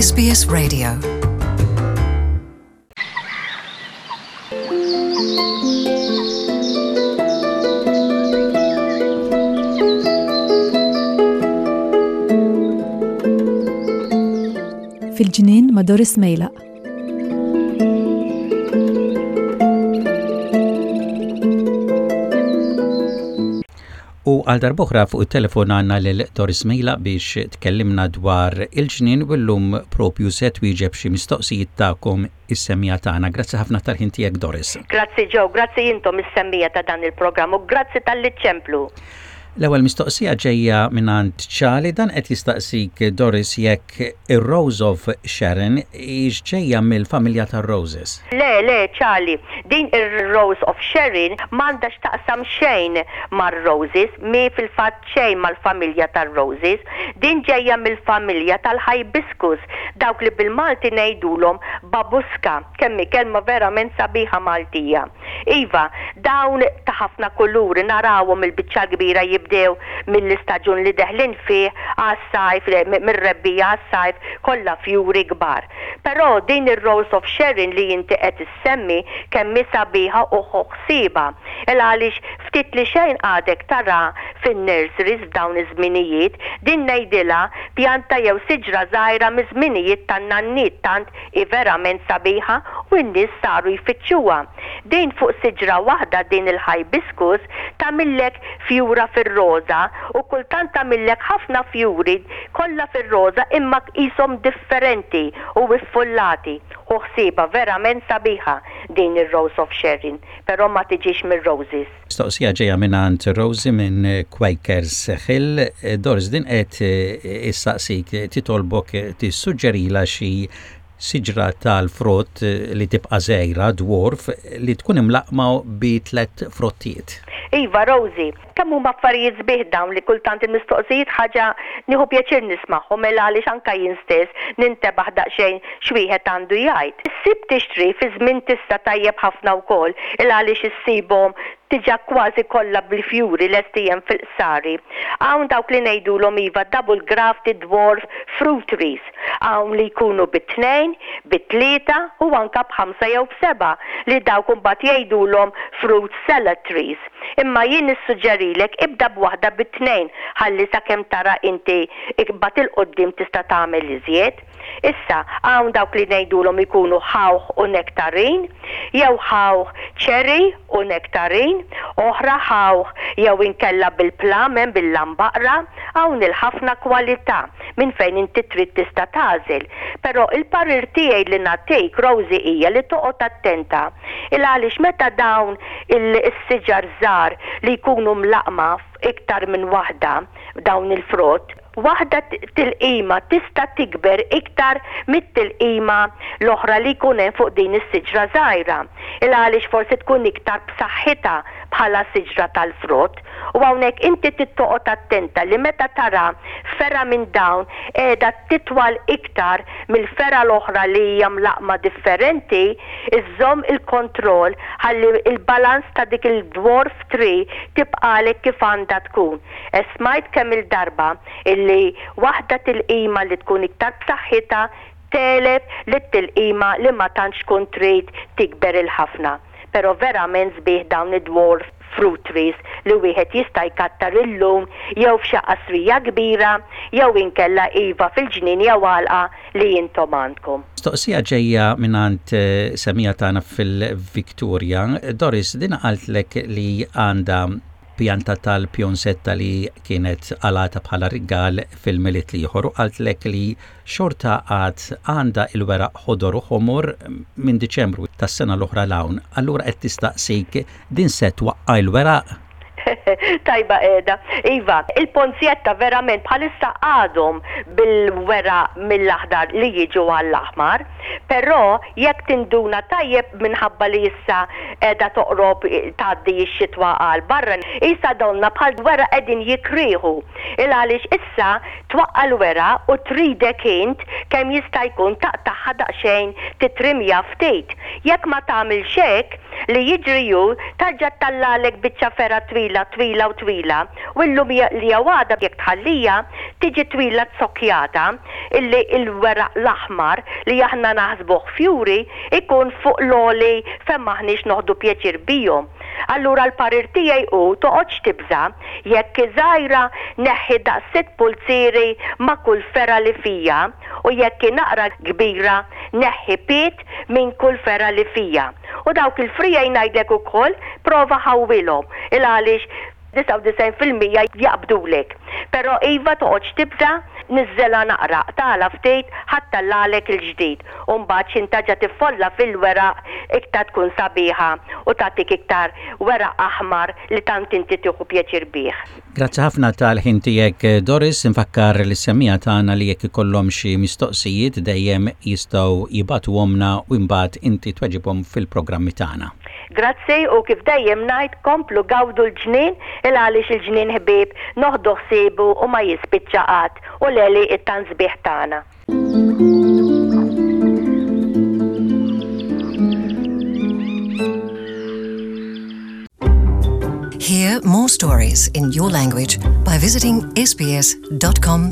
SBS Radio. Fil-ġnien ma' Doris Mejlaq. U għal darb'oħra fuq it-telefon għandna lil Doris Mejlaq biex tkellimna dwar il-ġnien u llum propju se twieġeb xi mistoqsijiet tagħkom is-semmiegħa tagħna. Grazzi ħafna tal-ħin tiegħek Doris. Grazzi Joe, grazzi intom is-semmiegħa ta' dan il-programm u grazzi talli ċċemplu. L-ewwel mistoqsija ġejja mingħand Charlie, dan qed jistaqsik Doris jekk ir-Rose of Sharon hix ġejja mill-familja tar-roses. Le, le, Charlie, din ir-Rose of Sharon m'għandha x'taqsam xejn mar-roses, mhi fil-fatt xejn mal-familja tar-roses. Din ġejja mill-familja tal-hibiscus, dawk li bil-Malti ngħidulhom babuska. Kemm hi kelma verament sabiħa Maltija. Iva, dawn ta' ħafna kuluri narawhom il-biċċa l-kbira jibdew mill-istaġun li deħlin fih għas-sajf, mir-rebbiegħa għas-sajf, kollha fjuri kbar. Però din ir-Rose of Sharon li inti qed issemmi kemm hi sabiħa u ħu ħsiebha. Il għaliex ftit li xejn għadek tara fin-nurseries f'dawn iż-żminijiet, din ngħidilha pjanta jew siġra żgħira miż-żminijiet tan-nanniet tant Hi verament sabiħa u n-nies saru jfittxuha. Din fuq siġra waħda din il-hibiscus tagħmillek fjura fir-roża u kultant tagħmillek ħafna fjuri kollha fir-roża imma qishom differenti u iffullati. Ħu ħsiebha verament sabiħa din ir-Rose of Sharon però ma tiġix mir-roses. Mistoqsija ġejja mingħand Rosie minn Quakers Hill. Doris, din qed issaqsik, titolbok tissuġġerilha xi siġra tal-frott li tibqa' żgħira, dwarf, li tkun imlaqqma bi tlett frottiet. Iva, Rosie, kemm huma affarijiet sbieħ dawn li kultant il-mistoqsijiet ħaġa nieħu pjaċir nismagħhom mela għaliex anke jien stess nintebaħ daqsxejn x'wieħed għandu jgħid. Issib tixtri fi żmien tista' tajjeb ħafna wkoll il għaliex issibhom diġà kważi kollha bil-fjuri lesti hemm fil-qsari. Hawn dawk li ngħidulhom iva double grafted dwarf fruit trees. Hawn li jkunu bi tnejn, bi tlieta u anke b'ħamsa jew b'sebgħa li dawk imbagħad jgħidulhom fruit salad trees. Imma jien nissuġġerilek ibda b'waħda bi tnejn ħalli sakemm tara inti imbagħad 'il quddiem tista' tagħmel iżjed. Issa, hawn dawk li ngħidulhom ikunu ħawħ u nektarin, jew ħawħ cherry u nektarin, oħra ħawħ jew inkella bil-plum hemm bil-lambaqra, hawn il-ħafna kwalità minn fejn inti trid tista' tagħżel. Però il-parir tiegħi li nagħtik, Rosie hija li toqgħod attenta il għaliex meta dawn il-siġar żgħar li jkunu mlaqqma f'iktar minn waħda dawn il-frott, Waħda tilqima tista' tikber iktar mit-tilqima l-oħra li jkun hemm fuq din is-siġra żgħira, il għaliex forsi tkun iktar b'saħħitha bħala siġra tal-frott. U hawnhekk inti trid toqgħod attenta li meta tara fergħa minn dawn qiegħda titwal iktar mill-fergħa l-oħra li hija mlaqqma differenti, iżżomm il-kontroll ħalli l-balance ta' dik il-dwarf tree tibqagħlek kif għandha tkun. Smajt kemm-il darba illi waħda tilqima li tkun iktar b'saħħitha tegħleb lit-tilqima li ma tantx tkun trid tikber il-ħafna. Però verament sbieħ dawn id-dwarf fruit trees li wieħed jista' jkattar illum jew f'xi qasrija kbira jew inkella iva fil-ġnien jew għalqa li intom għandkom. Mistoqsija ġejja mingħand semmiegħa tagħna fil-Victoria. Doris, din qaltlek li għandha pjanta tal-pjonsetta li kienet qalgħatha bħala rigal fil-Milied l-ieħor u qaltlek li xorta għad għandha il-weraq ħodor u ħomor minn Diċembru tas-sena l-oħra 'l hawn. Allura qed tistaqsik din se twaqqa' l-weraq? Tajba qiegħda. Iva, il-ponzjetta verament bħalissa għadhom bil-weraq mill-aħdar li jiġu għall-aħmar. Però jekk tinduna tajjeb minħabba li issa qiegħda toqrob tgħaddi x-xitwa għal barra, qisha donnha bħal weraq qegħdin jikrieħu. Il għaliex issa twaqqa' l-weraq u tridek int kemm jista' jkun taqtagħha daqsxejn titrimja ftit. Jekk ma tagħmilx hekk, Li jiġri hu tarġa' ttallagħlek biċċa fergħa twila, twila u twila u llum li jew għada jekk tħallija tiġi twila zokkjata illi l-weraq l-aħmar li aħna naħsbuh fjuri jkun fuq l-għoli fejn m'aħniex noħdu pjaċir bihom. Allura l-parir tiegħi hu toqgħodx tibża' jekk hi żgħira neħħi daqs sitt pulzieri ma' kull fergħa li fija u jekk hi naqra kbira neħħi pied minn kull fergħa li fija. U dawk il-friegħi ngħidlek ukoll prova ħawwilhom il għaliex 99% jaqbdulek. Però iva toqgħodx tibża' niżżelha naqra, qtagħlha ftit ħa ttellagħlek il-ġdid u mbagħad x'int taġa' tiffolla fil-weraq iktar tkun sabiħa u tagħtik iktar weraq aħmar li tant inti tieħu pjaċir bih. Grazzi ħafna tal-ħin tiegħek Doris, infakkar lis-semmiegħa tagħna li jekk ikollhom xi mistoqsijiet dejjem jistgħu jibagħtuhomlna u imbagħad inti tweġibhom fil-programmi tagħna. Grazzi u kif dejjem ngħid komplu gawdu l-ġnien il għaliex il-ġnien ħbieb noħdu ħsiebu u ma jispiċċa qatt u l-għelieqi tant sbieħ tagħna. Hear more stories in your language by visiting sbs.com.au.